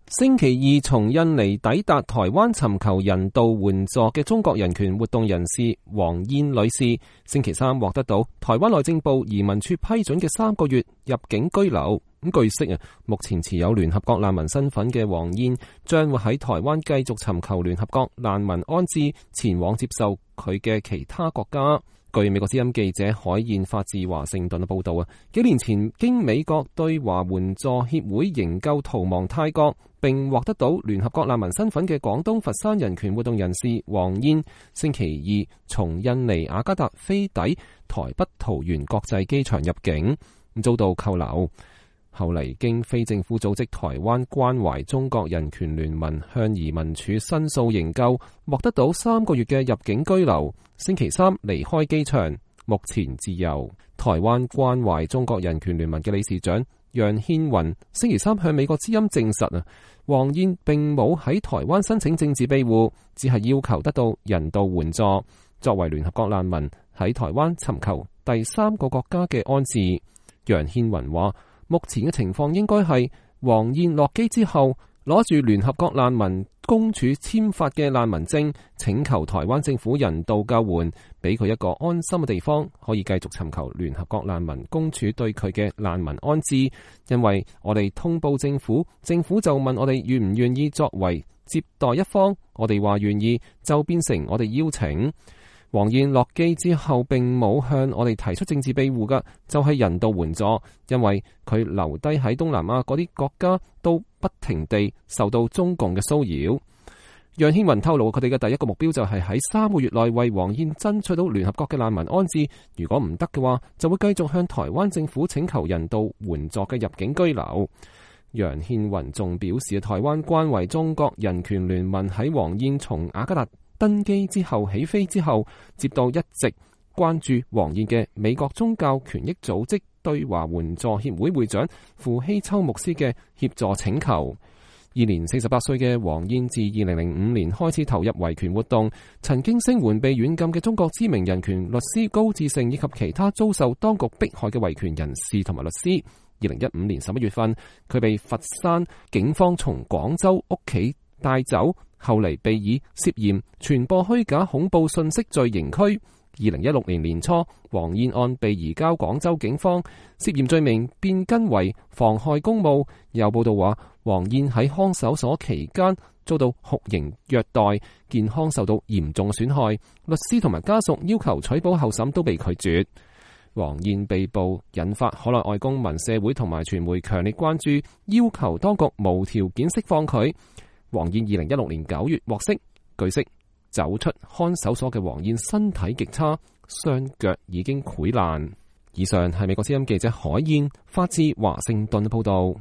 星期二從印尼抵達台灣尋求人道援助嘅中國人權活動人士黃燕女士，星期三獲得到台灣內政部移民處批准嘅3個月入境居留。咁據悉目前持有聯合國難民身份嘅黃燕將會喺台灣繼續尋求聯合國難民安置，前往接受佢嘅其他國家。據美國之音記者海燕發自華盛頓嘅報道幾年前經美國對華援助協會營救逃亡泰國並獲得到聯合國難民身份嘅廣東佛山人權活動人士黃燕，星期二從印尼雅加達飛抵台北桃園國際機場入境，遭到扣留。後嚟經非政府組織台灣關懷中國人權聯盟向移民署申訴營救，獲得到3個月嘅入境居留。星期三離開機場，目前自由。台灣關懷中國人權聯盟嘅理事長楊憲雲星期三向美國之音證實黃燕並冇喺台灣申請政治庇護，只係要求得到人道援助，作為聯合國難民喺台灣尋求第3個國家嘅安置。楊憲雲話，目前嘅情況應該係黃燕落機之後，攞住聯合國難民公署簽發嘅難民證，請求台灣政府人道救援，俾佢一個安心嘅地方，可以繼續尋求聯合國難民公署對佢嘅難民安置。因為我哋通報政府，政府就問我哋願唔願意作為接待一方，我哋話願意，就變成我哋邀請。黃燕落機之後並冇向我哋提出政治庇護嘅，就係人道援助，因為佢留低喺東南亞嗰啲國家都不停地受到中共嘅騷擾。楊憲雲透露，佢哋嘅第一個目標就係喺3個月內為黃燕爭取到聯合國嘅難民安置，如果唔得嘅話，就會繼續向台灣政府請求人道援助嘅入境居留。楊憲雲仲表示，台灣關懷中國人權聯盟喺黃燕從雅加達登機之後起飛之後，接到一直關注黃燕嘅美國宗教權益組織對華援助協會會長傅希秋牧師嘅協助請求。現年48歲嘅黃燕自2005年開始投入維權活動，曾經聲援被軟禁嘅中國知名人權律師高志勝以及其他遭受當局迫害嘅維權人士同埋律師。2015年11月份，佢被佛山警方從廣州屋企帶走，後嚟被以涉嫌傳播虛假恐怖信息罪刑拘。2016年年初，黃燕案被移交廣州警方，涉嫌罪名變更為妨害公務。有報道話，黃燕喺看守所期間遭到酷刑虐待，健康受到嚴重損害。律師同埋家屬要求取保候審都被拒絕。黃燕被捕引發海內外公民、社會同埋傳媒強烈關注，要求當局無條件釋放佢。黃燕2016年9月獲釋，據悉走出看守所嘅黃燕身體極差，雙腳已經潰爛。以上係美國之音記者海燕發自華盛頓報道。